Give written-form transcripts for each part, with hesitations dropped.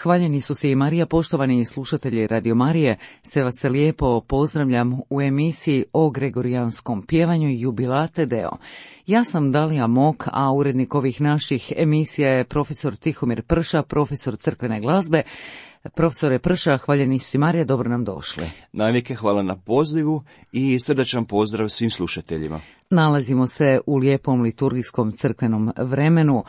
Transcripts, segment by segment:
Hvaljeni su se i Marija, poštovani slušatelji Radio Marije, sve vas se lijepo pozdravljam u emisiji o gregorijanskom pjevanju Jubilate Deo. Ja sam Dalija Mok, a urednik ovih naših emisija je profesor Tihomir Prša, profesor crkvene glazbe. Profesore Prša, hvaljeni su i Marija, dobro nam došli. Najvijeke hvala na pozivu i srdačan pozdrav svim slušateljima. Nalazimo se u lijepom liturgijskom crkvenom vremenu,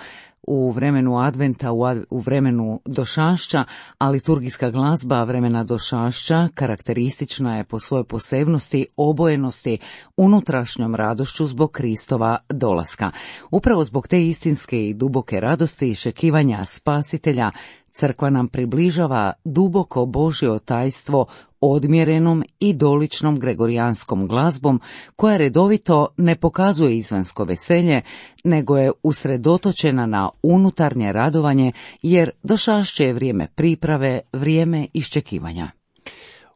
u vremenu adventa, u vremenu došašća, a liturgijska glazba vremena došašća karakteristična je po svojoj posebnosti, obojenosti, unutrašnjom radošću zbog Kristova dolaska. Upravo zbog te istinske i duboke radosti i iščekivanja Spasitelja, crkva nam približava duboko Božje tajstvo odmjerenom i doličnom gregorijanskom glazbom, koja redovito ne pokazuje izvanjsko veselje, nego je usredotočena na unutarnje radovanje, jer došašće je vrijeme priprave, vrijeme iščekivanja.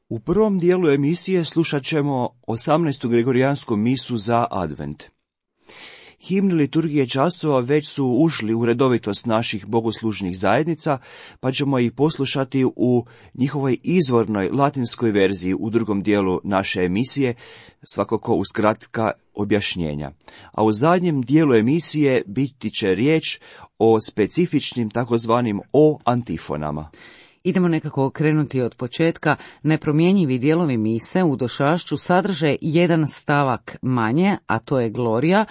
U prvom dijelu emisije slušat ćemo 18. gregorijansku misu za advent. Himni liturgije časova već su ušli u redovitost naših bogoslužnih zajednica, pa ćemo ih poslušati u njihovoj izvornoj latinskoj verziji u drugom dijelu naše emisije, svakako uz kratka objašnjenja. A u zadnjem dijelu emisije biti će riječ o specifičnim takozvanim o antifonama. Idemo nekako krenuti od početka. Nepromjenjivi dijelovi mise u došašću sadrže jedan stavak manje, a to je Glorija,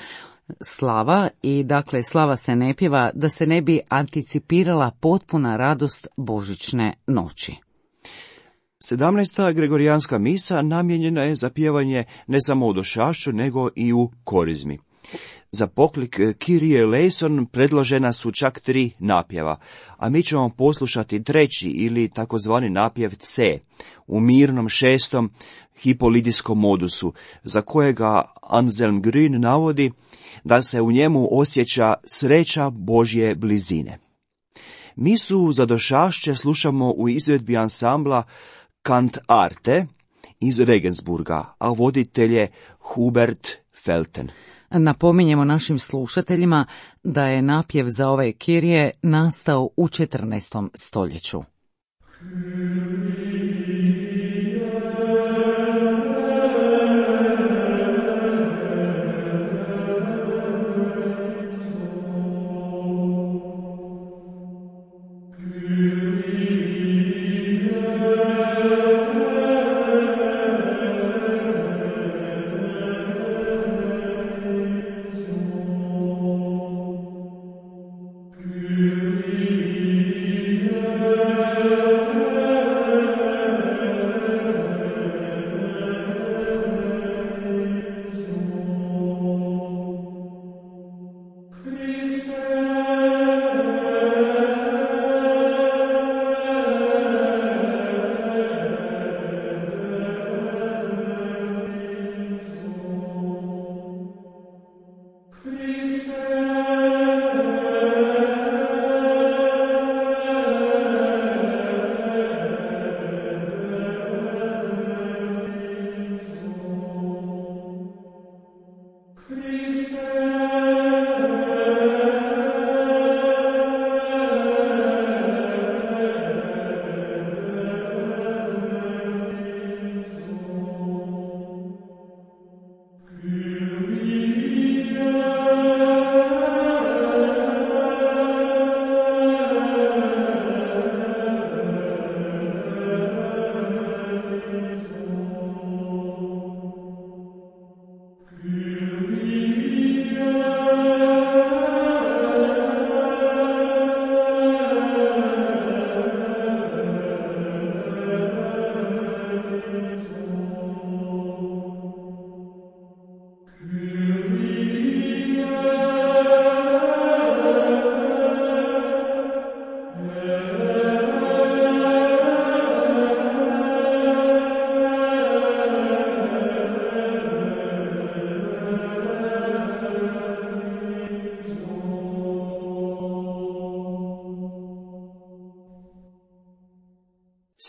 slava, i dakle slava se ne pjeva da se ne bi anticipirala potpuna radost božićne noći. 17. gregorijanska misa namijenjena je za pjevanje ne samo u došašću, nego i u korizmi. Za poklik Kyrie eleison predložena su čak 3 napjeva, a mi ćemo poslušati treći ili takozvani napjev C u mirnom 6. hipolidijskom modusu, za kojega Anselm Grün navodi da se u njemu osjeća sreća Božje blizine. Misu za došašće slušamo u izvedbi ansambla Kant Arte iz Regensburga, a voditelj je Hubert Felten. Napominjemo našim slušateljima da je napjev za ovaj Kirije nastao u 14. stoljeću.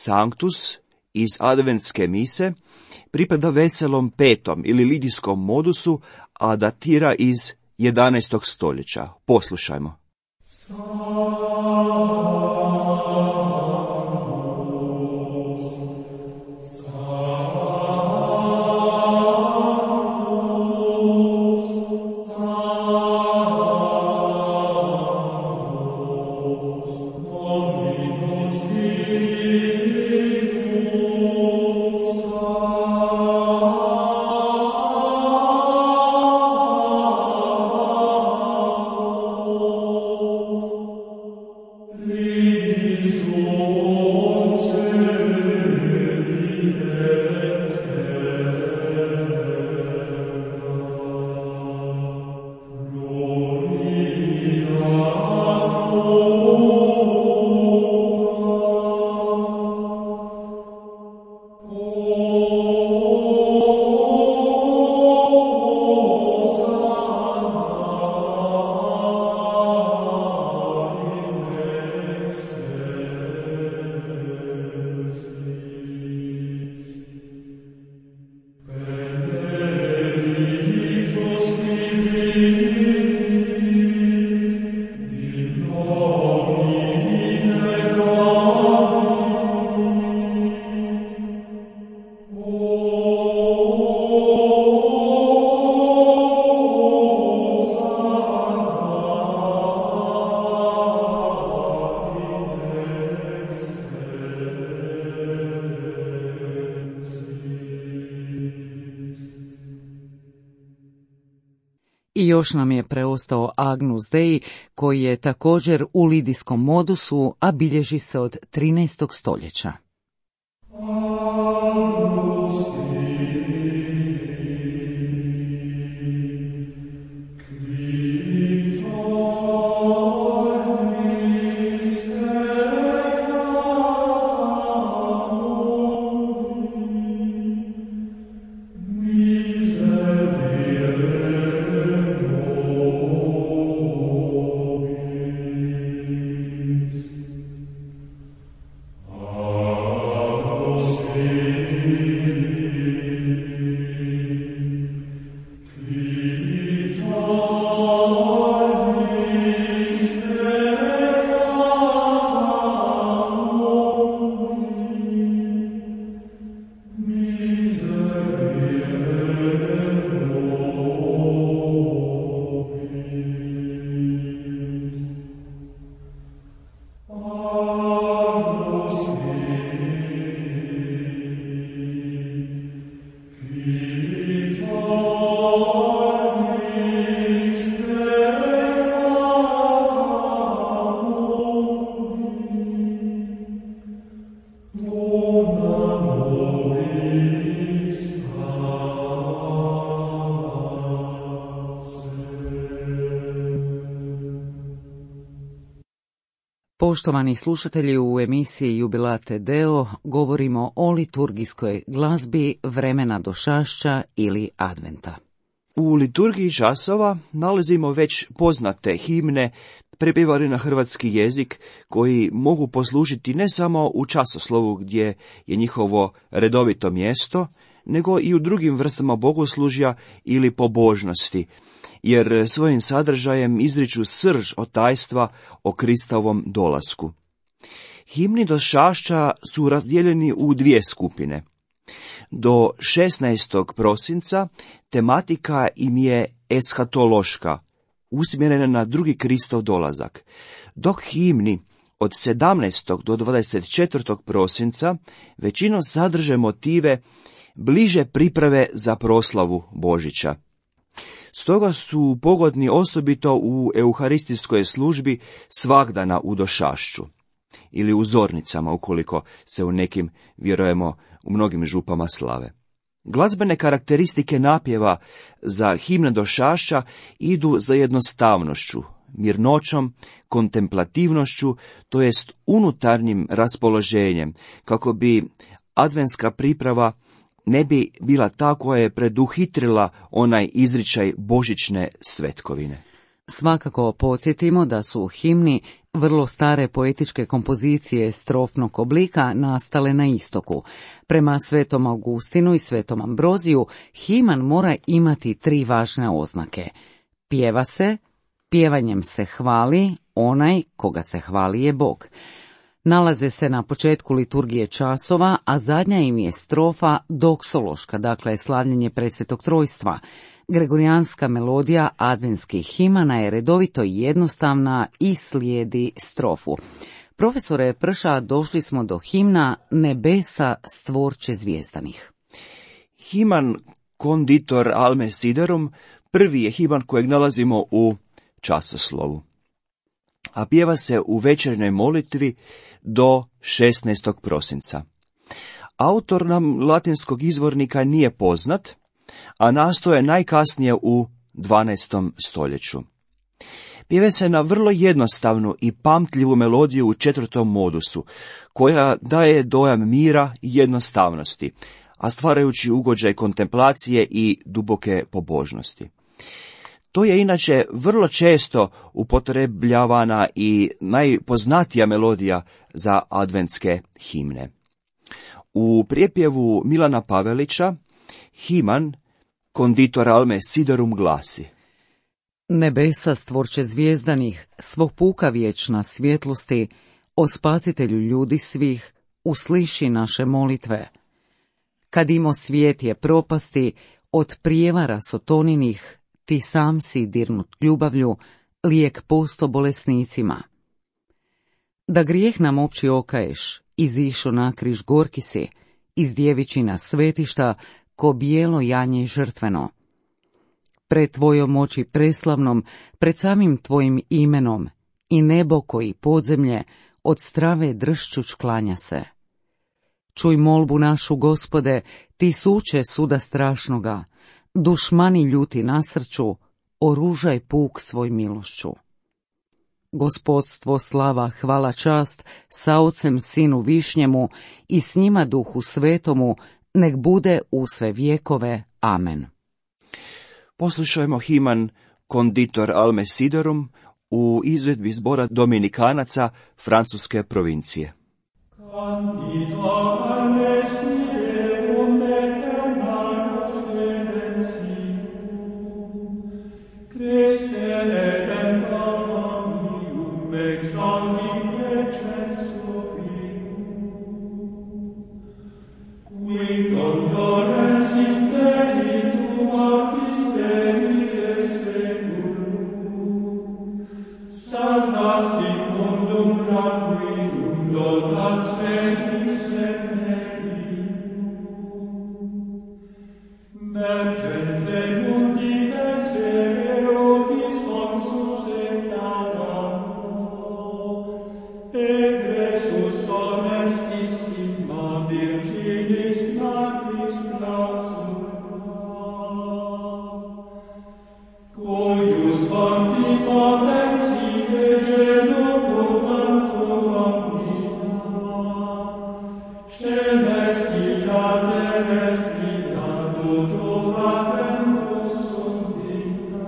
Sanctus iz adventske mise pripada veselom 5. ili lidijskom modusu, a datira iz 11. stoljeća. Poslušajmo. još nam je preostao Agnus Dei, koji je također u lidijskom modusu, a bilježi se od 13. stoljeća. Poštovani slušatelji, u emisiji Jubilate Deo govorimo o liturgijskoj glazbi vremena došašća ili adventa. U liturgiji časova nalazimo već poznate himne prepjevane na hrvatski jezik koji mogu poslužiti ne samo u časoslovu gdje je njihovo redovito mjesto, nego i u drugim vrstama bogoslužja ili pobožnosti, jer svojim sadržajem izriču srž otajstva o Kristovom dolasku. Himni došašća su razdijeljeni u dvije skupine. Do 16. prosinca tematika im je eshatološka, usmjerena na drugi Kristov dolazak, dok himni od 17. do 24. prosinca većinom sadrže motive bliže priprave za proslavu Božića. Stoga su pogodni osobito u euharistijskoj službi svagdana u došašću ili u zornicama, ukoliko se u nekim, vjerujemo, u mnogim župama slave. Glazbene karakteristike napjeva za himne došašća idu za jednostavnošću, mirnoćom, kontemplativnošću, to jest unutarnjim raspoloženjem, kako bi adventska priprava ne bi bila ta koja je preduhitrila onaj izričaj božićne svetkovine. Svakako podsjetimo da su himni vrlo stare poetičke kompozicije strofnog oblika nastale na istoku. Prema Svetom Augustinu i Svetom Ambroziju himan mora imati 3 važne oznake. Pjeva se, pjevanjem se hvali, onaj koga se hvali je Bog. Nalaze se na početku liturgije časova, a zadnja im je strofa doksološka, dakle slavljenje presvetog trojstva. Gregorijanska melodija adventskih himana je redovito jednostavna i slijedi strofu. Profesore Prša, došli smo do himna Nebesa stvorče zvijezdanih. Himan Conditor alme siderum prvi je himan kojeg nalazimo u časoslovu, a pjeva se u večernjoj molitvi do 16. prosinca. Autor nam latinskog izvornika nije poznat, a nastao je najkasnije u 12. stoljeću. Pjeva se na vrlo jednostavnu i pamtljivu melodiju u 4. modusu, koja daje dojam mira i jednostavnosti, a stvarajući ugođaj kontemplacije i duboke pobožnosti. To je inače vrlo često upotrebljavana i najpoznatija melodija za adventske himne. U prijepjevu Milana Pavelića himan Conditor alme siderum glasi: Nebesa stvorče zvijezdanih, svog puka vječna svjetlosti, o spasitelju ljudi svih, usliši naše molitve. Kad imo svijet je propasti, od prijevara sotoninih, ti sam si dirnut ljubavlju, lijek posto bolesnicima. Da grijeh nam opći okaješ, izišo na križ gorki si, iz djevičina svetišta, ko bijelo janje žrtveno. pred tvojom moći preslavnom, pred samim tvojim imenom, i nebo koji podzemlje od strave dršćuć klanja se. Čuj molbu našu, Gospode, ti suče suda strašnoga, dušmani ljuti nasrću, oružaj puk svoj milošću. Gospodstvo, slava, hvala, čast, sa Ocem, Sinu Višnjemu i s njima Duhu Svetomu, nek bude u sve vjekove. Amen. Poslušajmo himan Conditor Alme Siderum u izvedbi zbora Dominikanaca Francuske provincije. Conditor alme siderum aeternam redemptionem, Christe redemptorum meum ex sanguine precessu pium, qui condolens intellitum artis Dei seculum, salvas in mundum laquidum donat spectis remedium. Mergente mundi vesere otis consus et adamo, egressus honestissima virginis magis clausula, cuius fonti potensile genupur vantum omnia, celestia terrestria tutu facentus sundita.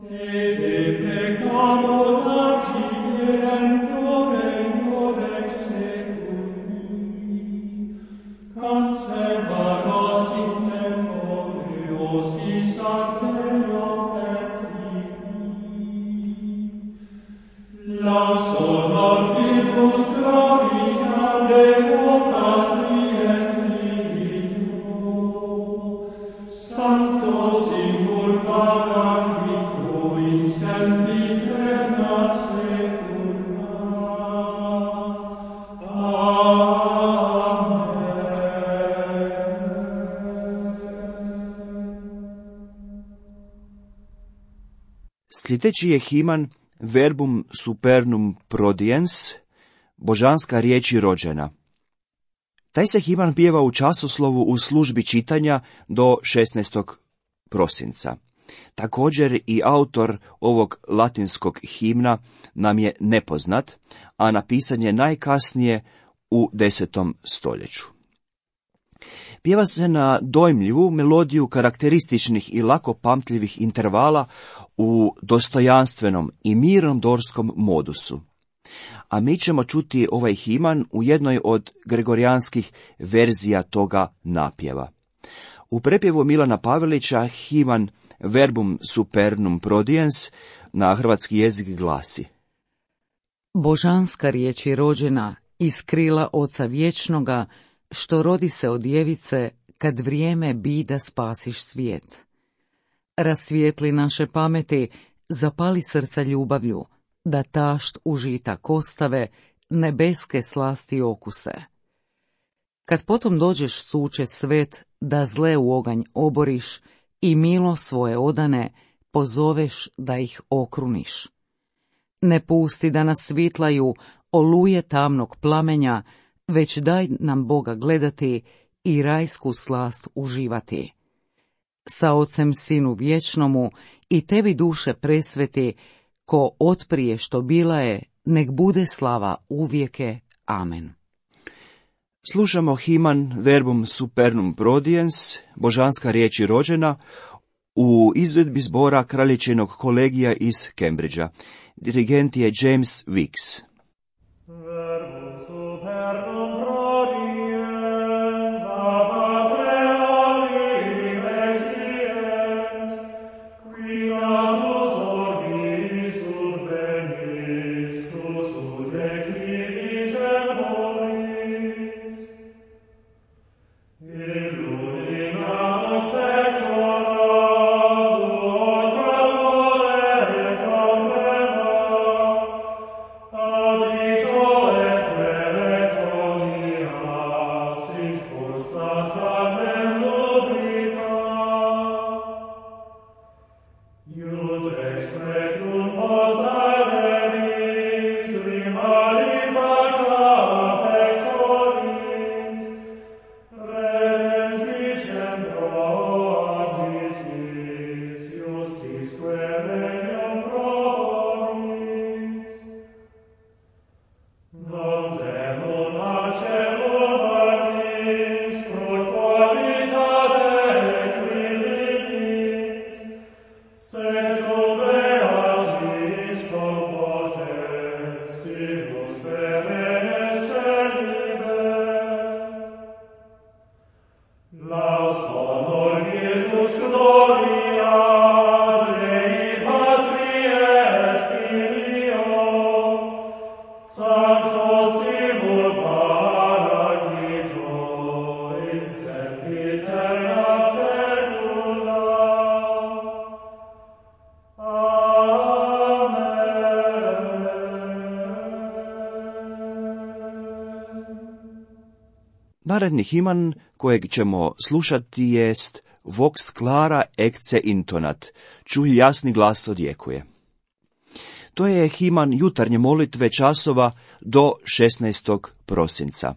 Tebe pecamur accidenture in ex seculi, conserva nos in tempore hostis arterio perfidi. Laus honor virtus gloria Deo Patri et Filio, Sancto Simul Paraclito in sempiterna secula. Sljedeći je himan Verbum supernum prodiens, božanska riječi rođena. Taj se himan pjeva u časoslovu u službi čitanja do 16. prosinca. Također i autor ovog latinskog himna nam je nepoznat, a napisan je najkasnije u 10. stoljeću. Pjeva se na dojmljivu melodiju karakterističnih i lako pamtljivih intervala u dostojanstvenom i mirnom dorskom modusu. A mi ćemo čuti ovaj himan u jednoj od gregorijanskih verzija toga napjeva. U prepjevu Milana Pavelića himan Verbum supernum prodiens na hrvatski jezik glasi: Božanska riječ je rođena iz krila Oca vječnoga, što rodi se od djevice, kad vrijeme bi da spasiš svijet. Rasvijetli naše pameti, zapali srca ljubavlju, da tašt užitak ostave, nebeske slasti okuse. Kad potom dođeš suče svet, da zle u oganj oboriš i milo svoje odane pozoveš da ih okruniš. Ne pusti da nas svitlaju oluje tamnog plamenja, već daj nam Boga gledati i rajsku slast uživati. Sa Ocem Sinu vječnomu i tebi duše presveti, ko otprije što bila je, nek bude slava uvijeke. Amen. Slušamo himan Verbum supernum prodiens, božanska riječ je rođena, u izvedbi zbora Kraljičinog kolegija iz Cambridgea. Dirigent je James Weeks. Verbum supernum prodiens, ab atre alium extiens, qui natus orbi subvenis, sud declivis temporis. Illumina noctectora, tuo tremore contrema, adito et Naredni himan kojeg ćemo slušati jest Vox clara ecce intonat, čuj jasni glas odjekuje. To je himan jutarnje molitve časova do 16. prosinca.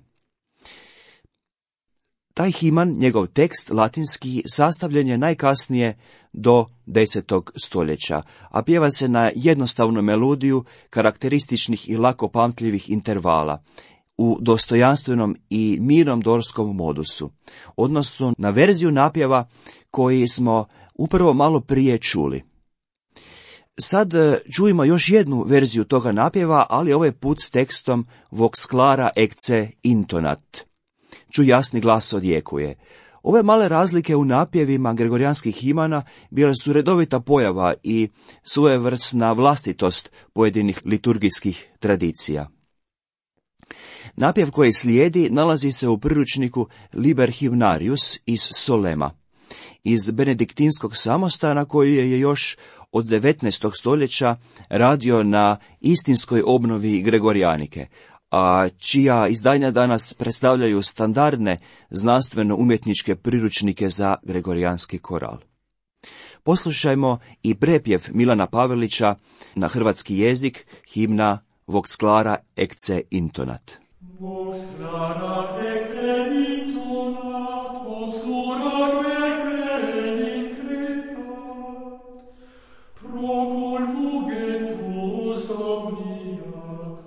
Taj himan, njegov tekst latinski, sastavljen je najkasnije do 10. stoljeća, a pjeva se na jednostavnu melodiju karakterističnih i lako pamtljivih intervala, u dostojanstvenom i mirnom dorskom modusu, odnosno na verziju napjeva koji smo upravo malo prije čuli. Sad čujemo još jednu verziju toga napjeva, ali ovaj put s tekstom Vox clara ecce intonat. Čuj jasni glas odjekuje. Ove male razlike u napjevima gregorijanskih himana bile su redovita pojava i svojevrsna vlastitost pojedinih liturgijskih tradicija. Napjev koji slijedi nalazi se u priručniku Liber Hymnarius iz Solema, iz benediktinskog samostana koji je još od 19. stoljeća radio na istinskoj obnovi gregorijanike, a čija izdanja danas predstavljaju standardne znanstveno-umjetničke priručnike za gregorijanski koral. Poslušajmo i prepjev Milana Pavelića na hrvatski jezik, himna Vox clara ecce intonat. Vox clara ecce intonat, obscura quae increpat, procul fugentus omnia,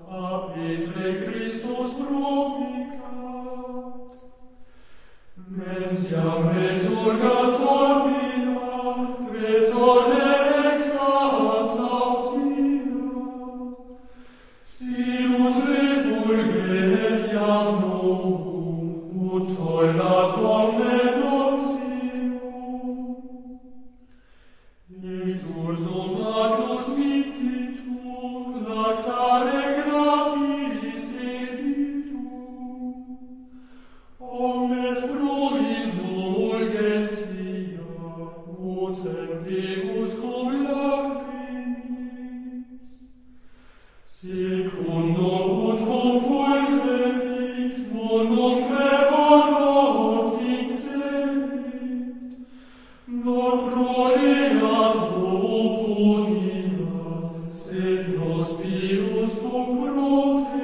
a Petre Christus promicat. Mensiam resurgator mila, quesole exat saut mila, silus refulget iam novum, ut tollat omne notium. Exulsum magnus mittitur, laxare gratiis ebitur, omnes provinum urgentia, vocem Deus cum lacrimis, secundum ut confulsebit, monumque honor exebit, non proeat oponiat, sed nos pius cum protegat.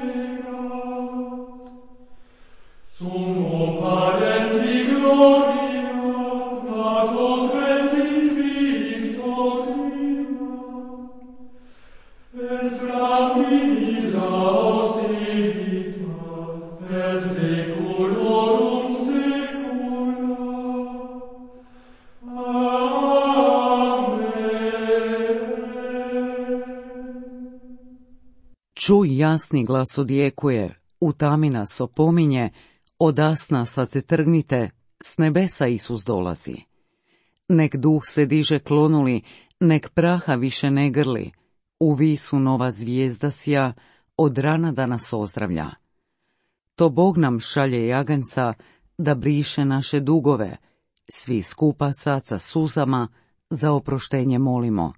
Summo parenti gloria, natoque sit victoria, et flamina austerita, per seculorum secula. Amen. Čuj jasni glas odjekuje, u tami nas opominje, odasna sad se trgnite, s nebesa Isus dolazi. Nek duh se diže klonuli, nek praha više ne grli, u visu nova zvijezda sja, od rana da nas ozdravlja. To Bog nam šalje jaganca, da briše naše dugove, svi skupa sad sa suzama, za oproštenje molimo.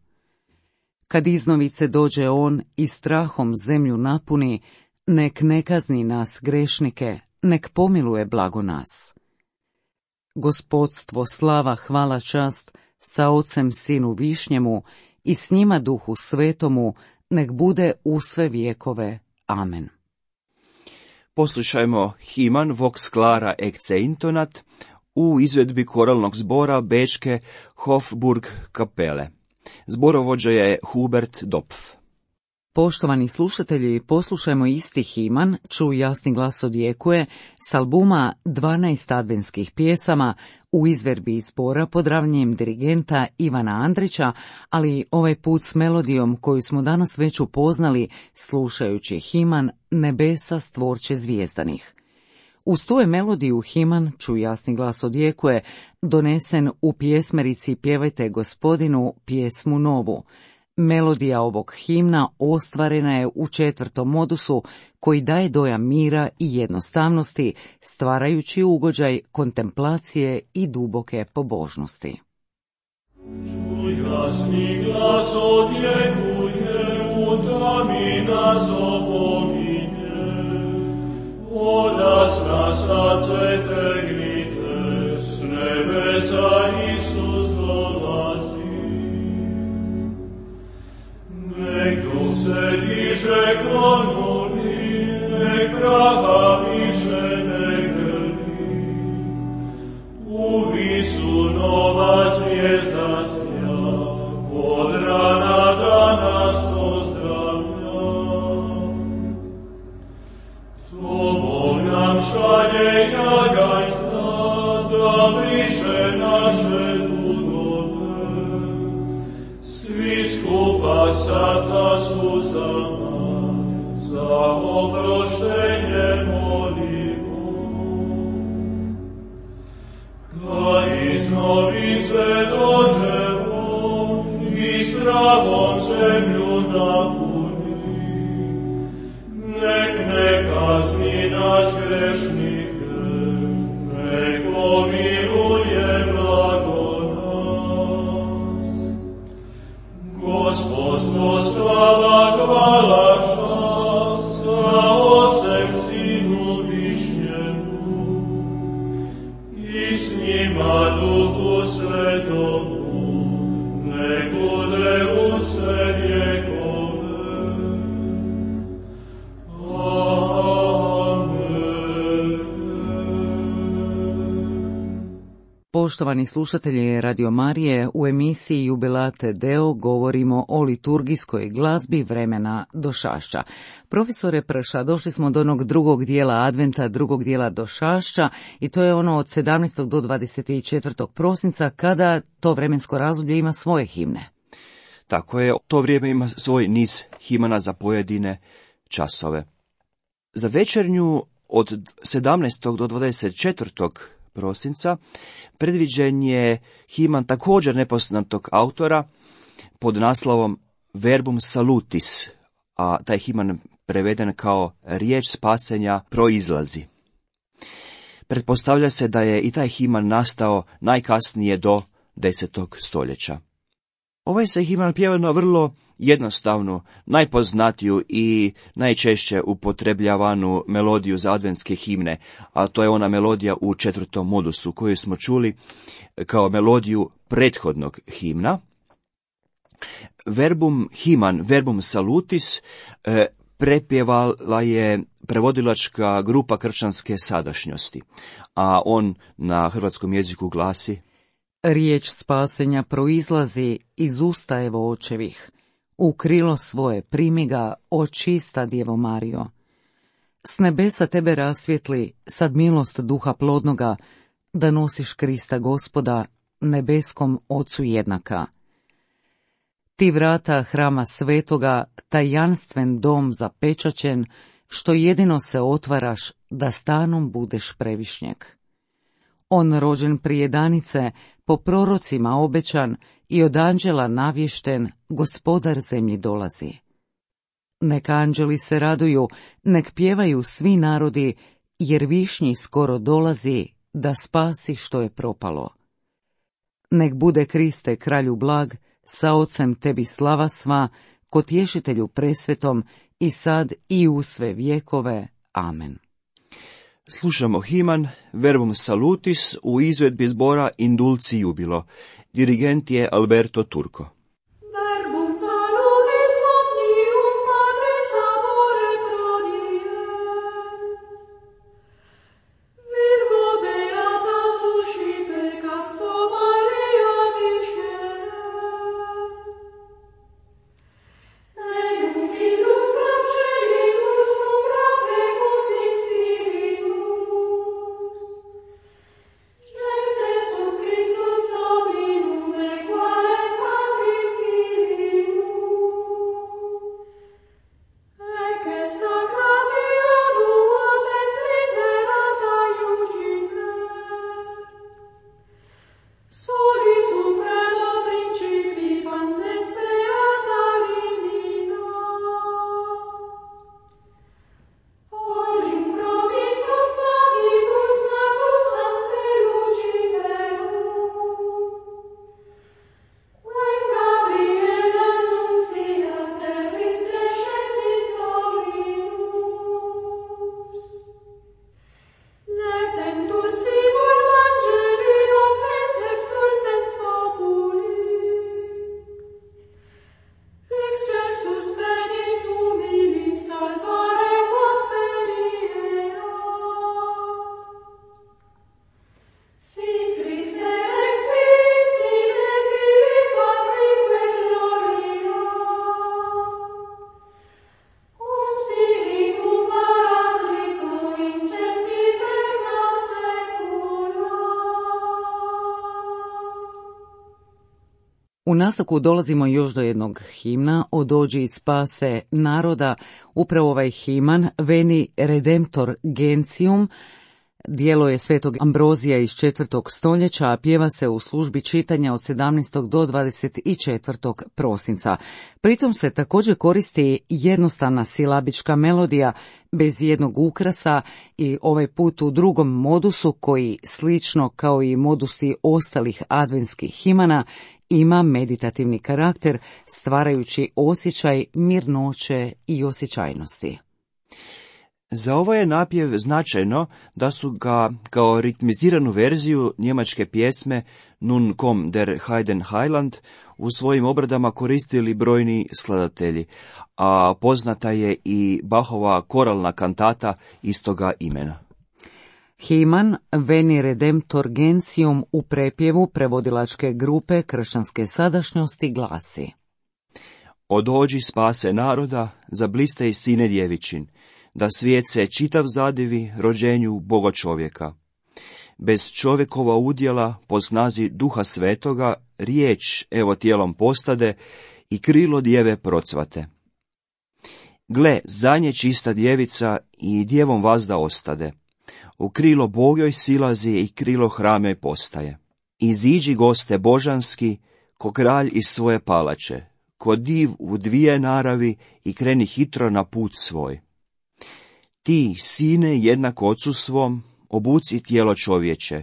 Kad iznovice dođe on i strahom zemlju napuni, nek ne kazni nas grešnike, nek pomiluje blago nas. Gospodstvo, slava, hvala, čast, sa Ocem Sinu Višnjemu i s njima Duhu Svetomu, nek bude u sve vjekove. Amen. Poslušajmo himan Vox Clara ecce intonat u izvedbi koralnog zbora Bečke Hofburg kapele. Zborovođa je Hubert Dopf. Poštovani slušatelji, poslušajmo isti himan, Čuj jasni glas odjekuje, s albuma 12 adventskih pjesama u izvedbi zbora pod ravnjem dirigenta Ivana Andrića, ali ovaj put s melodijom koju smo danas već upoznali slušajući himan Nebesa stvorče zvijezdanih. Uz tu je melodiju himan Čuj jasni glas odjekuje donesen u pjesmerici Pjevajte Gospodinu pjesmu novu. Melodija ovog himna ostvarena je u 4. modusu koji daje dojam mira i jednostavnosti, stvarajući ugođaj kontemplacije i duboke pobožnosti. Čuj jasni glas odjekuje, u tami nas opominje, odasna srce tegnite, s nebesa Isus dolazi. Nek duh se diže klonuli, nek praha više ne grli, u visu nova zvijezda sja, od rana da nas pozdravlja. To Bog nam šalje jagajca, da briše naše dugove, svi skupa sa zasuzama, za oproštenje molimo. Kad iz novice dođemo i strahom zemlju napuni, nek ne kazni nas grešnike, nek pomiruje blago nas. Gospodstvo slava hvala čast, za Otcem Sinu višnjemu, i s njima Duhu Svetomu, nek bude u sve vjekove. Poštovani slušatelji Radio Marije, u emisiji Jubilate Deo govorimo o liturgijskoj glazbi vremena Došašća. Profesore Prša, došli smo do onog drugog dijela Adventa, drugog dijela Došašća, i to je ono od 17. do 24. prosinca, kada to vremensko razdoblje ima svoje himne. Tako je, to vrijeme ima svoj niz himana za pojedine časove. Za večernju od 17. do 24. prosinca predviđen je himan također nepoznatog autora pod naslovom Verbum Salutis, a taj himan preveden kao riječ spasenja proizlazi. Pretpostavlja se da je i taj himan nastao najkasnije do 10. stoljeća. Ovaj se himan pjeva na vrlo jednostavnu, najpoznatiju i najčešće upotrebljavanu melodiju za adventske himne, a to je ona melodija u 4. modusu koju smo čuli kao melodiju prethodnog himna. Verbum Salutis prepjevala je prevodilačka grupa kršćanske sadašnjosti, a on na hrvatskom jeziku glasi: Riječ spasenja proizlazi iz usta evo očevih. U krilo svoje primi ga, o čista Djevo Marijo. S nebesa tebe rasvjetli, sad milost duha plodnoga, da nosiš Krista Gospoda, nebeskom Ocu jednaka. Ti vrata hrama svetoga, tajanstven dom zapečaćen, što jedino se otvaraš, da stanom budeš previšnjeg. On rođen prije danice, po prorocima obećan i od anđela navješten, gospodar zemlji dolazi. Nek anđeli se raduju, nek pjevaju svi narodi, jer višnji skoro dolazi, da spasi što je propalo. Nek bude Kriste kralju blag, sa Ocem tebi slava sva, ko tješitelju presvetom, i sad i u sve vjekove. Amen. Slušamo himan Verbum Salutis u izvedbi zbora In Dulci Jubilo. Dirigent je Alberto Turco. Verbum nastavku dolazimo još do jednog himna, O dođi i spase naroda. Upravo ovaj himan, Veni Redemptor Gentium, djelo je svetog Ambrozija iz 4. stoljeća, a pjeva se u službi čitanja od 17. do 24. prosinca. Pritom se također koristi jednostavna silabička melodija bez jednog ukrasa i ovaj put u drugom modusu koji, slično kao i modusi ostalih adventskih himana, ima meditativni karakter, stvarajući osjećaj mirnoće i osjećajnosti. Za ovaj je napjev značajno da su ga kao ritmiziranu verziju njemačke pjesme Nun komm der Heiden Heiland u svojim obradama koristili brojni skladatelji, a poznata je i Bachova koralna kantata istoga imena. Himan Veni Redemptor Gentium u prepjevu prevodilačke grupe kršćanske sadašnjosti glasi: O dođi spase naroda, zabliste i sine djevičin, da svijet se čitav zadivi rođenju Boga čovjeka. Bez čovjekova udjela, po snazi Duha Svetoga, riječ evo tijelom postade i krilo djeve procvate. Gle, za nje čista djevica i djevom vazda ostade. U krilo Bogoj silazi i krilo hramjoj postaje. Iziđi goste božanski, ko kralj iz svoje palače, ko div u dvije naravi i kreni hitro na put svoj. Ti, sine, jednak ocu svom, obuci tijelo čovječe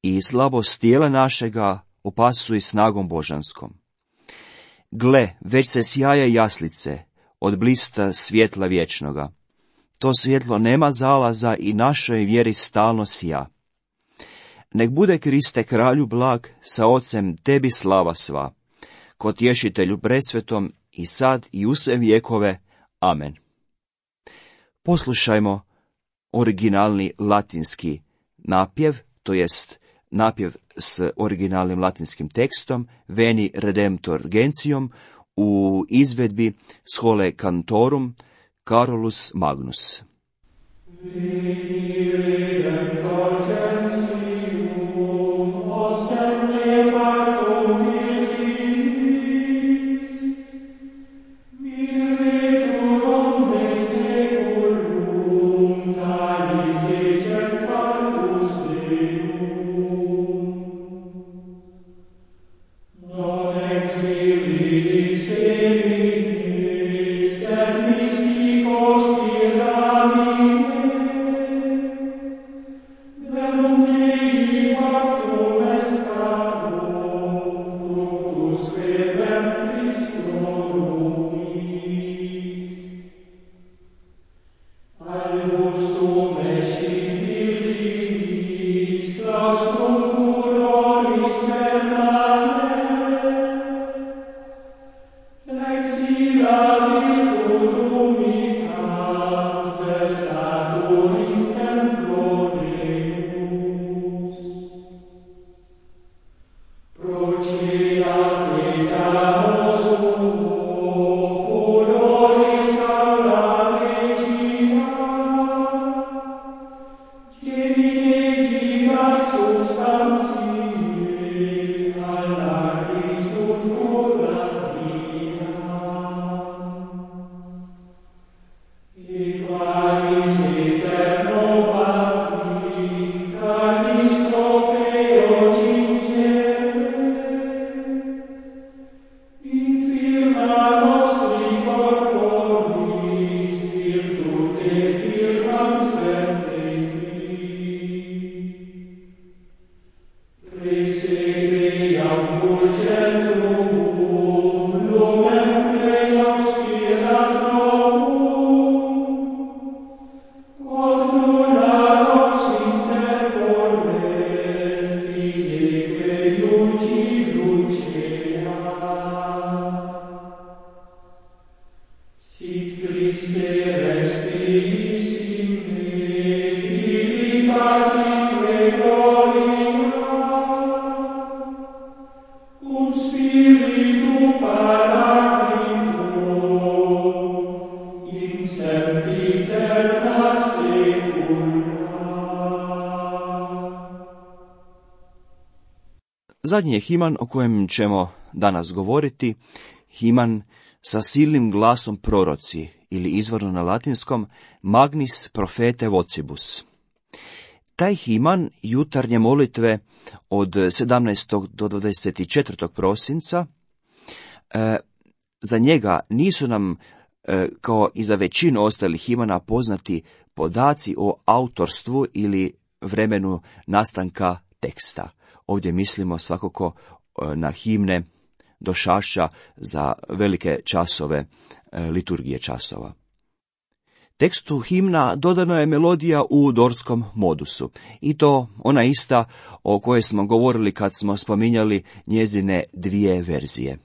i slabost tijela našega opasuj snagom božanskom. Gle, već se sjaje jaslice od blista svjetla vječnoga. To svjetlo nema zalaza i našoj vjeri stalno sija. Nek bude Kriste kralju blag, sa ocem tebi slava sva, ko tješitelju presvetom i sad i u sve vjekove. Amen. Poslušajmo originalni latinski napjev, to jest napjev s originalnim latinskim tekstom, Veni Redemptor Gentium, u izvedbi Scholae Cantorum Carolus Magnus. Veni Redemptor Gentium, ostem levatum virginis, miretur omne seculum, talis decet partus Deum. Non ex virilis seminis, et mysticos tyramine, verum Dei factum est caro, fructus revertis nonuit. Alvus tum escit virginis, claustrum puroris permanet, flexila virtutum micat, versatur in templo Deus. Procedat vetamus suo, puroris aula regina, gemine substantiae, alla Christum curat via. Equalis eterno Patri, canis tropeo cingere, infirma nostri corporis, virtute firmans perpetti. Presepeam fulgentum, lumen plenos spirat novum, quod nulla nox interporret, fideque luci luceat. Sit Christe respiris in me, tibi Patrique gloria, cum Spiritu Paraclitum, in sempiterna secula. Zadnji je himan o kojem ćemo danas govoriti, himan sa silnim glasom proroci, ili izvorno na latinskom Magnis profete vocibus. Taj himan jutarnje molitve od 17. do 24. prosinca, za njega nisu nam, kao i za većinu ostalih himana, poznati podaci o autorstvu ili vremenu nastanka teksta. Ovdje mislimo svakako na himne došašća za velike časove liturgije časova. Tekstu himna dodana je melodija u dorskom modusu, i to ona ista o kojoj smo govorili kad smo spominjali njezine dvije verzije.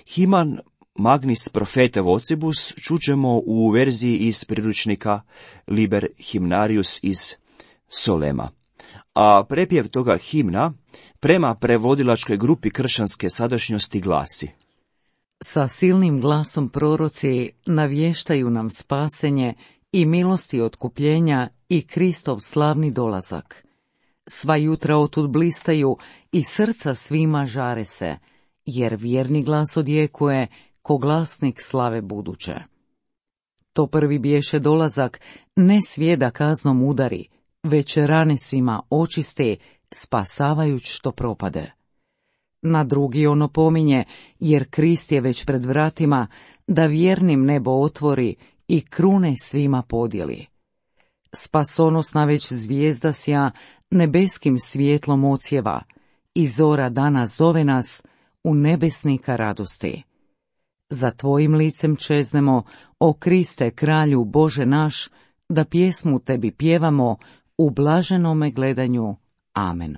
Himan Magnis profete vocibus čućemo u verziji iz priručnika Liber Hymnarius iz Solema, a prepjev toga himna prema prevodilačkoj grupi kršćanske sadašnjosti glasi: Sa silnim glasom proroci navještaju nam spasenje i milosti otkupljenja i Kristov slavni dolazak. Sva jutra otud blistaju i srca svima žare se, jer vjerni glas odjekuje ko glasnik slave buduće. To prvi bješe dolazak, ne svijeda kaznom udari, već rane svima očiste, spasavajuć što propade. Na drugi ono pominje, jer Krist je već pred vratima, da vjernim nebo otvori i krune svima podijeli. Spasonosna već zvijezda sja, nebeskim svjetlom ocijeva, i zora dana zove nas u nebesnika radosti. Za tvojim licem čeznemo, o Kriste, kralju Bože naš, da pjesmu tebi pjevamo u blaženome gledanju. Amen.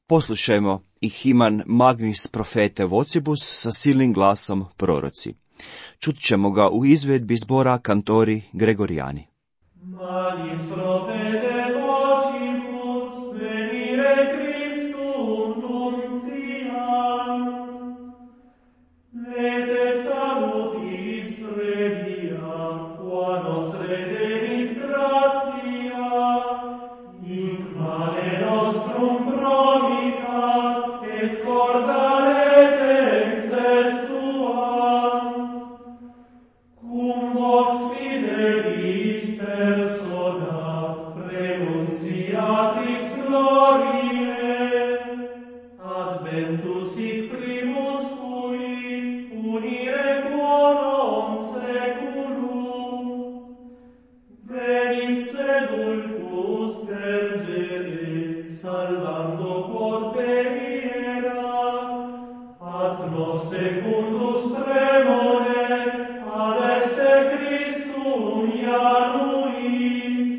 Poslušajmo i himan Magnis profete vocibus sa silnim glasom proroci. Čut ćemo ga u izvedbi zbora kantori Gregorijani. Magnis profete vocibus venire Christum nunciant, lete salutis previa, qua nos redemit gratia, in male nostrum promicat, et cordaret exestuant, cum vox fidelis personat prenunciatrix gloriae, adventus hic primus cui unire quorum seculum, venit sedulcus tergere, salvando quod perierat, at nos secundus tremore, ad esse Christum ianuis,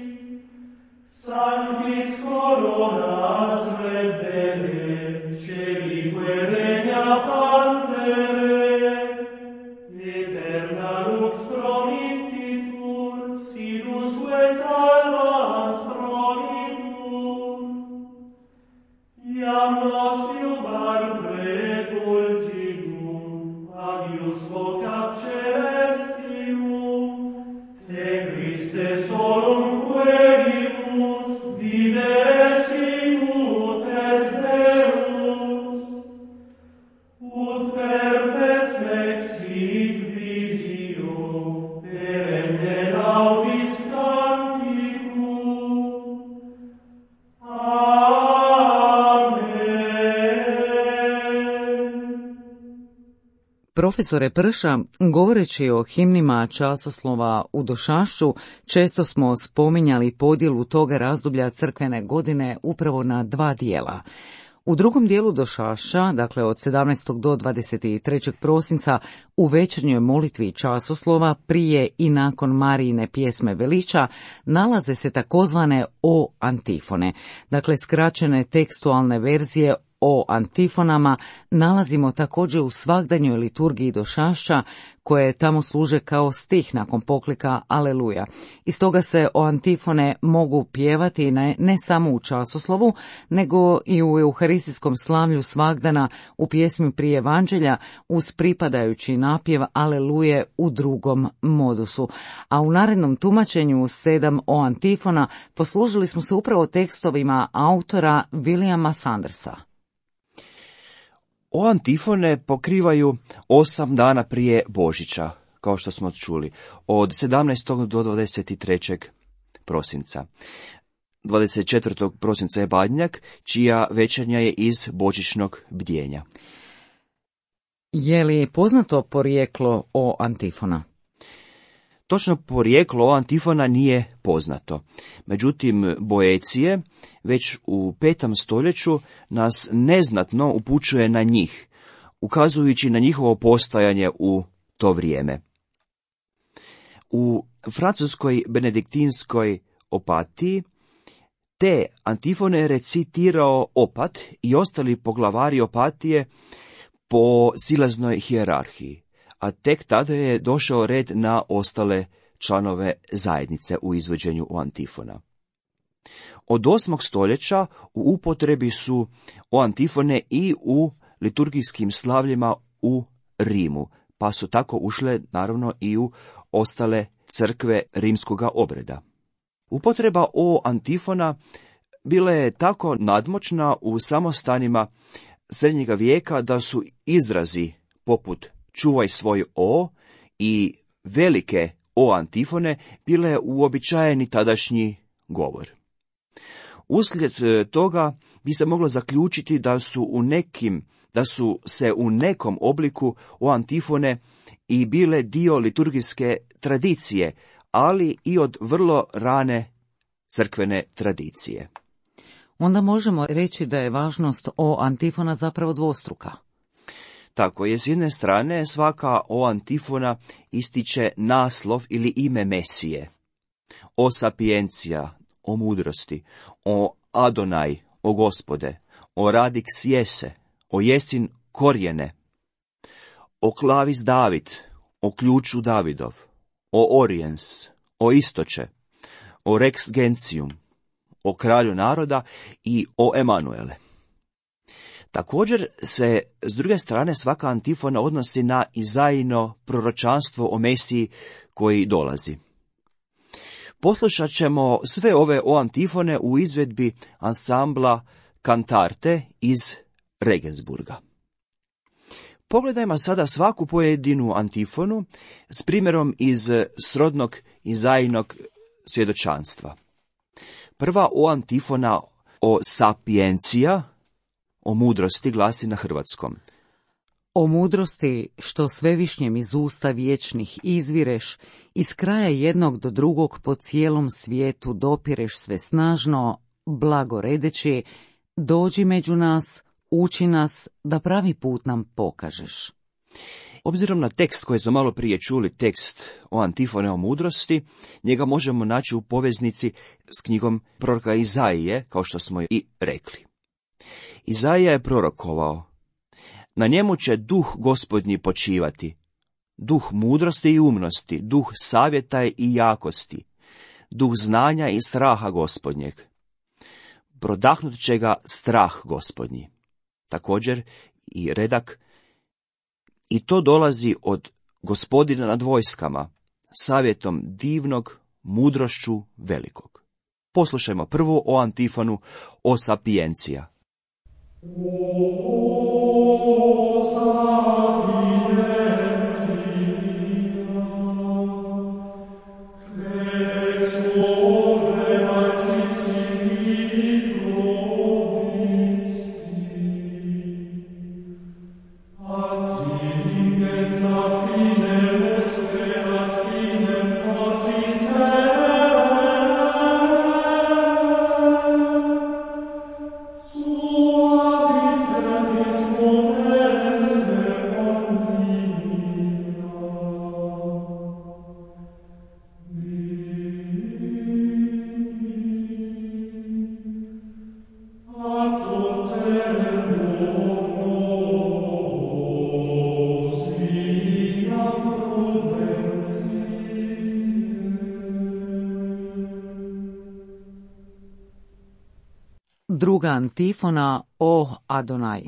sanctis coronas reddere, celique regna pandere, eterna lux promittitur, sidusque salvans promitur, iam nos iubar prefulgimum, agius vocat celestium, te Christe solum querimus, videre sicut est Deus, ut perpes exit visio, perenne laudis canticum. Profesore Prša, govoreći o himnima časoslova u Došašću, često smo spominjali podjelu toga razdoblja crkvene godine upravo na dva dijela. U drugom dijelu Došašća, dakle od 17. do 23. prosinca, u večernjoj molitvi časoslova, prije i nakon Marijine pjesme veliča, nalaze se takozvane o antifone, dakle skraćene tekstualne verzije o antifonama nalazimo također u svagdanjoj liturgiji Došašća, koje tamo služe kao stih nakon poklika Aleluja. Iz toga se o antifone mogu pjevati ne samo u časoslovu, nego i u euharistijskom slavlju svagdana u pjesmi prije evanđelja uz pripadajući napjev Aleluje u drugom modusu. A u narednom tumačenju 7 o antifona poslužili smo se upravo tekstovima autora Williama Sandersa. O antifone pokrivaju 8 dana prije Božića, kao što smo čuli, od 17. do 23. prosinca. 24. prosinca je Badnjak, čija večernja je iz božićnog bdjenja. Je li poznato porijeklo o antifona? Točno porijeklo antifona nije poznato. Međutim, Boecije već u 5. stoljeću nas neznatno upućuje na njih, ukazujući na njihovo postojanje u to vrijeme. U francuskoj benediktinskoj opatiji te antifone je recitirao opat i ostali poglavari opatije po silaznoj hijerarhiji, a tek tada je došao red na ostale članove zajednice u izvođenju antifona. Od 8. stoljeća u upotrebi su antifone i u liturgijskim slavljima u Rimu, pa su tako ušle naravno i u ostale crkve rimskoga obreda. Upotreba antifona bila je tako nadmoćna u samostanima srednjega vijeka da su izrazi poput čuvaj svoj i velike antifone bile uobičajeni tadašnji govor. Uslijed toga bi se moglo zaključiti da su se u nekom obliku antifone i bile dio liturgijske tradicije, ali i od vrlo rane crkvene tradicije. Onda možemo reći da je važnost antifona zapravo dvostruka. Tako je, s jedne strane svaka antifona ističe naslov ili ime Mesije. O sapiencija, o mudrosti, o Adonaj, o Gospode, o radix jese, o jesin korijene, o klavis David, o ključu Davidov, o oriens, o istoče, o rex gentium, o kralju naroda i o Emanuele. Također se, s druge strane, svaka antifona odnosi na Izaino proročanstvo o Mesiji koji dolazi. Poslušat ćemo sve ove antifone u izvedbi ansambla Kantarte iz Regensburga. Pogledajmo sada svaku pojedinu antifonu s primjerom iz srodnog Izainog svjedočanstva. Prva antifona o sapiencija, o mudrosti, glasi na hrvatskom. O mudrosti, što svevišnjem iz usta vječnih izvireš, iz kraja jednog do drugog po cijelom svijetu dopireš sve snažno, blagoredeći, dođi među nas, uči nas, da pravi put nam pokažeš. Obzirom na tekst koji smo malo prije čuli, tekst o antifone o mudrosti, njega možemo naći u poveznici s knjigom proroka Izaije, kao što smo i rekli. Izaija je prorokovao: na njemu će duh Gospodnji počivati, duh mudrosti i umnosti, duh savjeta i jakosti, duh znanja i straha Gospodnjeg. Prodahnut će ga strah Gospodnji. Također i redak: i to dolazi od Gospodina nad vojskama, savjetom divnog, mudrošću velikog. Poslušajmo prvo antifonu o sapiencija. Druga antifona o Adonaj.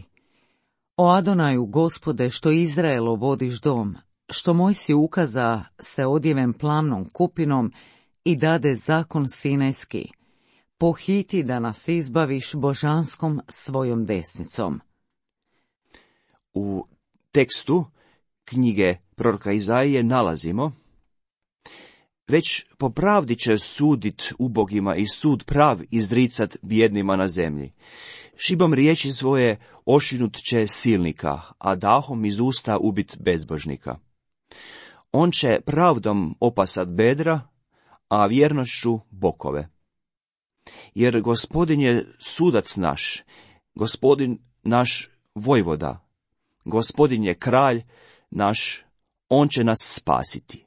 O Adonaju, Gospode, što Izraelo vodiš dom, što moj si ukaza se odjeven plamnom kupinom i dade zakon sinajski. Pohiti da nas izbaviš božanskom svojom desnicom. u tekstu knjige proroka Izaije nalazimo: već po pravdi će sudit ubogima i sud prav izricat bjednima na zemlji. Šibom riječi svoje ošinut će silnika, a dahom iz usta ubit bezbožnika. On će pravdom opasat bedra, a vjernošću bokove. Jer Gospodin je sudac naš, Gospodin naš vojvoda, Gospodin je kralj naš, on će nas spasiti.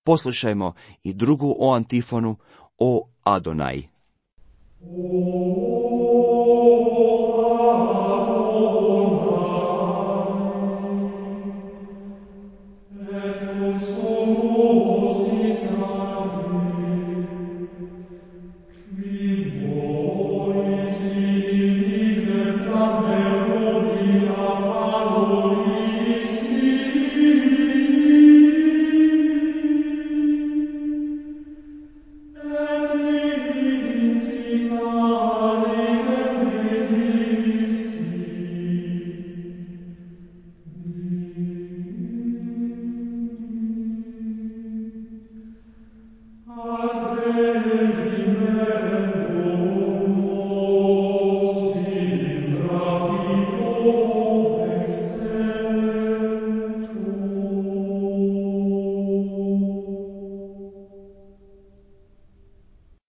Poslušajmo i drugu o antifonu, o Adonaj.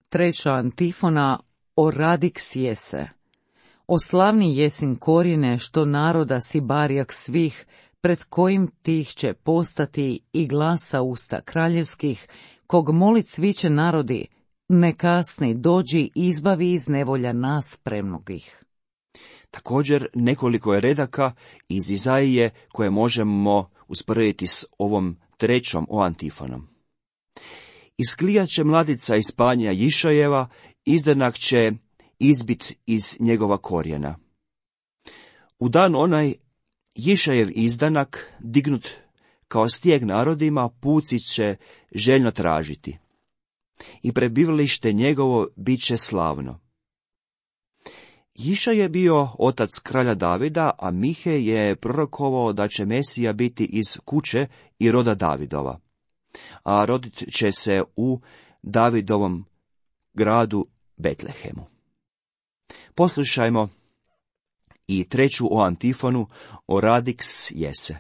Treća antifona, o radix jese. O slavni jesin korijene, što naroda si barjak svih, pred kojim tih će postati i glasa usta kraljevskih, kog molit svi će narodi, ne kasni, dođi, izbavi iz nevolja nas premnogih. Također nekoliko je redaka iz Izaije koje možemo usporediti s ovom trećom o antifonom. Isklijat će mladica iz panja Jišajeva, izdanak će izbit iz njegova korijena. U dan onaj Jišajev izdanak, dignut kao stijeg narodima, puci će željno tražiti. I prebivalište njegovo bit će slavno. Jiša je bio otac kralja Davida, a Mihe je prorokovao da će Mesija biti iz kuće i roda Davidova, a rodit će se u Davidovom gradu Betlehemu. Poslušajmo i treću o antifonu, o radix jese.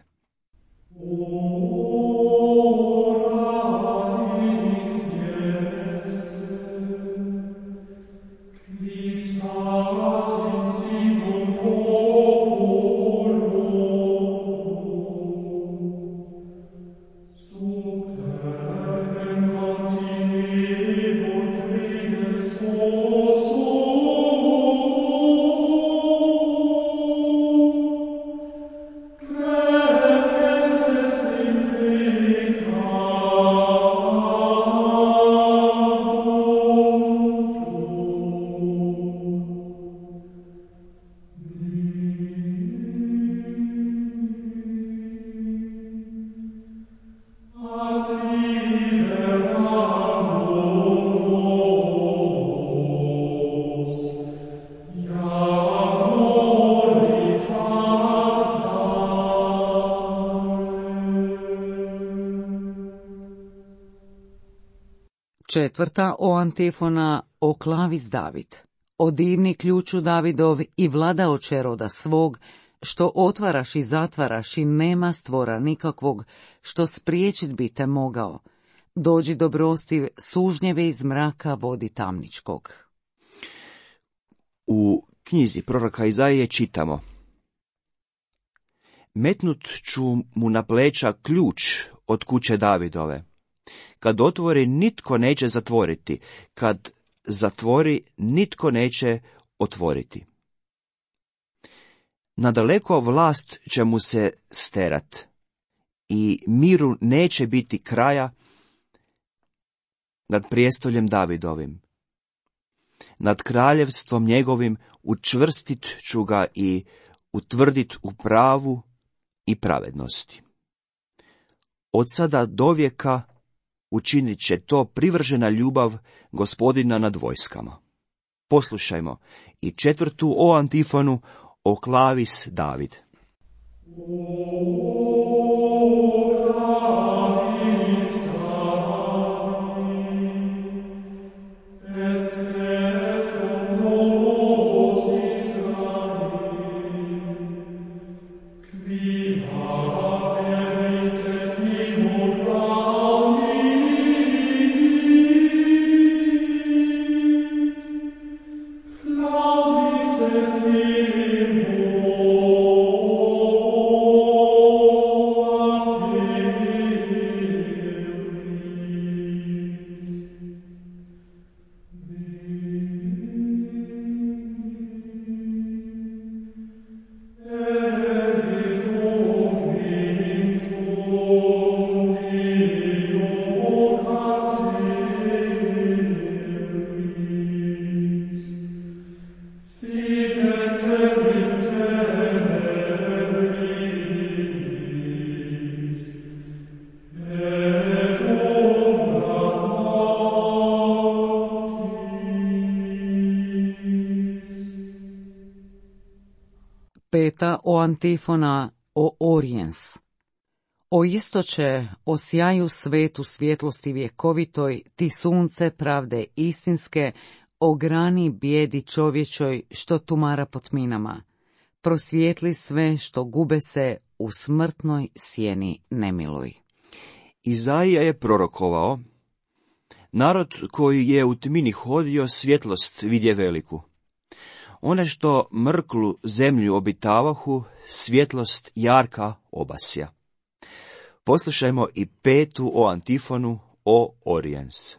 Četvrta o antifona, o klavis David. O divni ključu Davidov i vladaoče roda svog, što otvaraš i zatvaraš i nema stvora nikakvog, što spriječit bi te mogao. Dođi dobrostiv, sužnjeve iz mraka vodi tamničkog. U knjizi proroka Izaije čitamo: metnut ću mu na pleća ključ od kuće Davidove. Kad otvori, nitko neće zatvoriti. Kad zatvori, nitko neće otvoriti. Nadaleko vlast će mu se sterat i miru neće biti kraja nad prijestoljem Davidovim. Nad kraljevstvom njegovim učvrstit ću ga i utvrdit u pravu i pravednosti. Od sada do vijeka učinit će to privržena ljubav Gospodina nad vojskama. Poslušajmo i četvrtu o antifonu, o klavis David. Peta o antifona o Oriens. O istoče, o sjaju svetu svjetlosti vjekovitoj, ti sunce pravde istinske, o grani bijedi čovječoj što tumara po tminama. Prosvijetli sve što gube se u smrtnoj sjeni nemiluj. Izaija je prorokovao: narod koji je u tmini hodio, svjetlost vidje veliku. One što mrklu zemlju obitavahu, svjetlost jarka obasja. Poslušajmo i petu o antifonu o Oriens.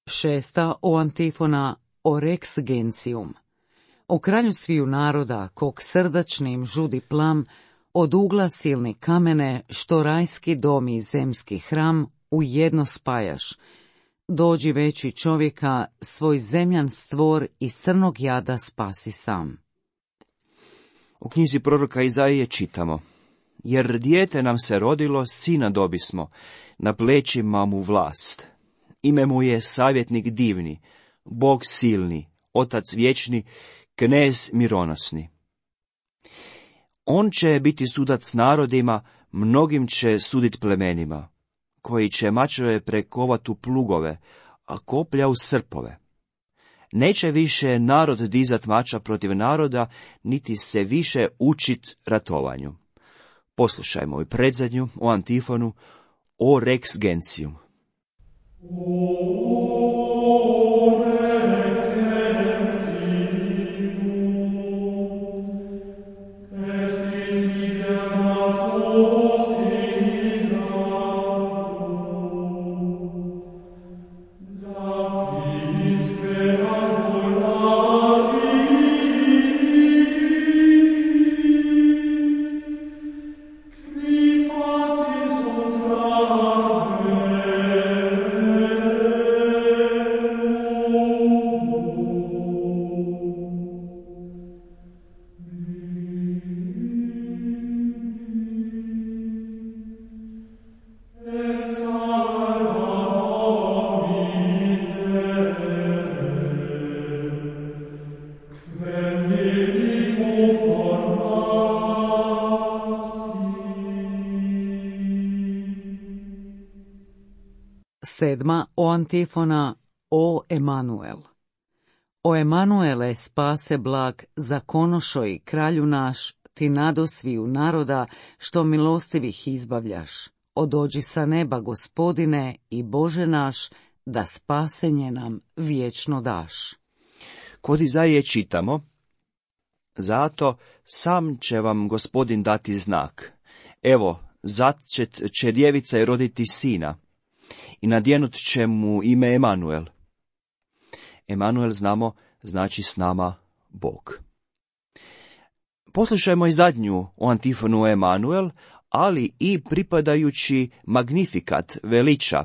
Šesta o antifona o Rex Gentium. O kralju sviju naroda, kog srdačnim žudi plam, od ugla silni kamene, što rajski dom i zemski hram u jedno spajaš. Dođi veći čovjeka, svoj zemljan stvor iz crnog jada spasi sam. U knjizi proroka Izaije čitamo: jer dijete nam se rodilo, sina dobismo, na plećima mu vlast. Ime mu je savjetnik divni, Bog silni, Otac vječni, Knez mironosni. On će biti sudac narodima, mnogim će sudit plemenima, koji će mačeve prekovat u plugove, a koplja u srpove. Neće više narod dizat mača protiv naroda, niti se više učit ratovanju. Poslušajmo i predzadnju o antifonu o Rex Gentium. Sedma o antifona o Emanuel. O Emanuele, spase blag, zakonošoj kralju naš, ti nadosviju naroda, što milostivih izbavljaš. Odođi sa neba, Gospodine, i Bože naš, da spasenje nam vječno daš. Kod Izaije čitamo: zato sam će vam Gospodin dati znak. Evo, začet će djevica i roditi sina, i nadjenut će mu ime Emanuel. Emanuel, znamo, znači s nama Bog. Poslušajmo i zadnju o antifonu Emanuel, ali i pripadajući magnifikat veliča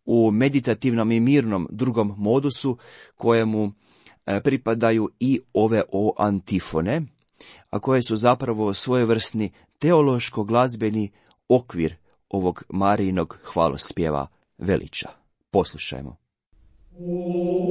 u meditativnom i mirnom drugom modusu, kojemu pripadaju i ove o antifone, a koje su zapravo svojevrsni teološko-glazbeni okvir ovog Marijinog hvalospjeva veliča. Poslušajmo. Amen.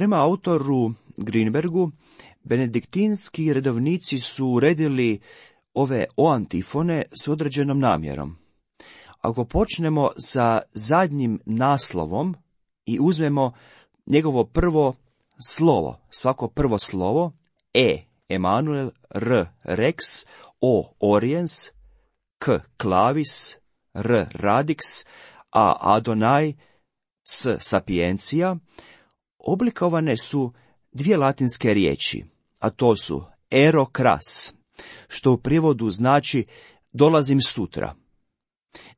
Prema autoru Greenbergu, benediktinski redovnici su uredili ove oantifone s određenom namjerom. Ako počnemo sa zadnjim naslovom i uzmemo njegovo prvo slovo, svako prvo slovo, Emanuel, R rex, O oriens, K clavis, R radix, A Adonai, S sapientia, oblikovane su dvije latinske riječi, a to su ero cras, što u prijevodu znači dolazim sutra.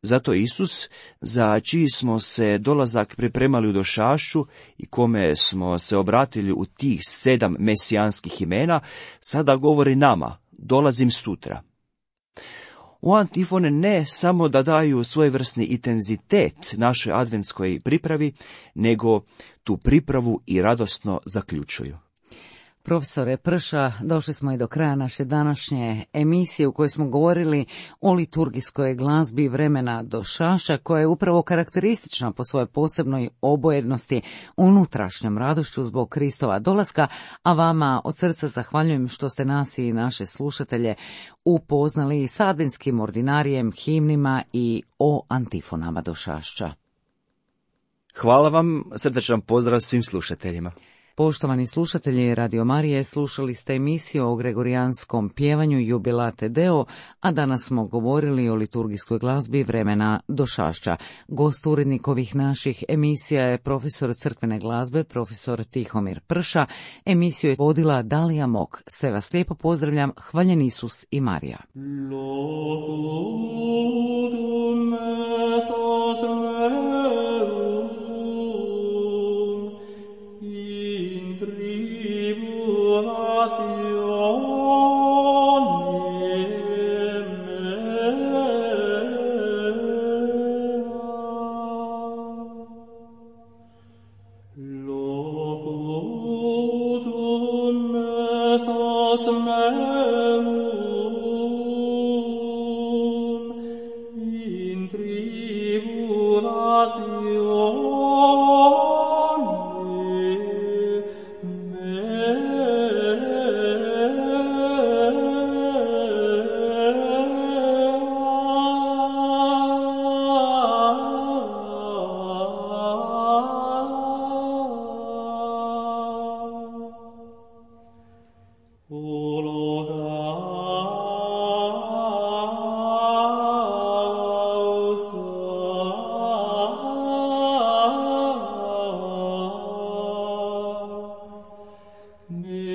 Zato Isus, za čiji smo se dolazak pripremali u došašću i kome smo se obratili u tih 7 mesijanskih imena, sada govori nama, dolazim sutra. U antifone ne samo da daju svojevrsni intenzitet našoj adventskoj pripravi, nego tu pripravu i radosno zaključuju. Profesore Prša, došli smo i do kraja naše današnje emisije u kojoj smo govorili o liturgijskoj glazbi vremena došašća, koja je upravo karakteristična po svojoj posebnoj obojednosti, unutrašnjom radošću zbog Kristova dolaska, a vama od srca zahvaljujem što ste nas i naše slušatelje upoznali s adventskim ordinarijem, himnima i o antifonama došašća. Hvala vam, srdečan pozdrav svim slušateljima. Poštovani slušatelji Radio Marije, slušali ste emisiju o gregorijanskom pjevanju Jubilate Deo, a danas smo govorili o liturgijskoj glazbi vremena došašća. Gost urednik ovih naših emisija je profesor crkvene glazbe, profesor Tihomir Prša. Emisiju je vodila Dalija Mok. Sve vas lijepo pozdravljam, hvaljen Isus i Marija. Ne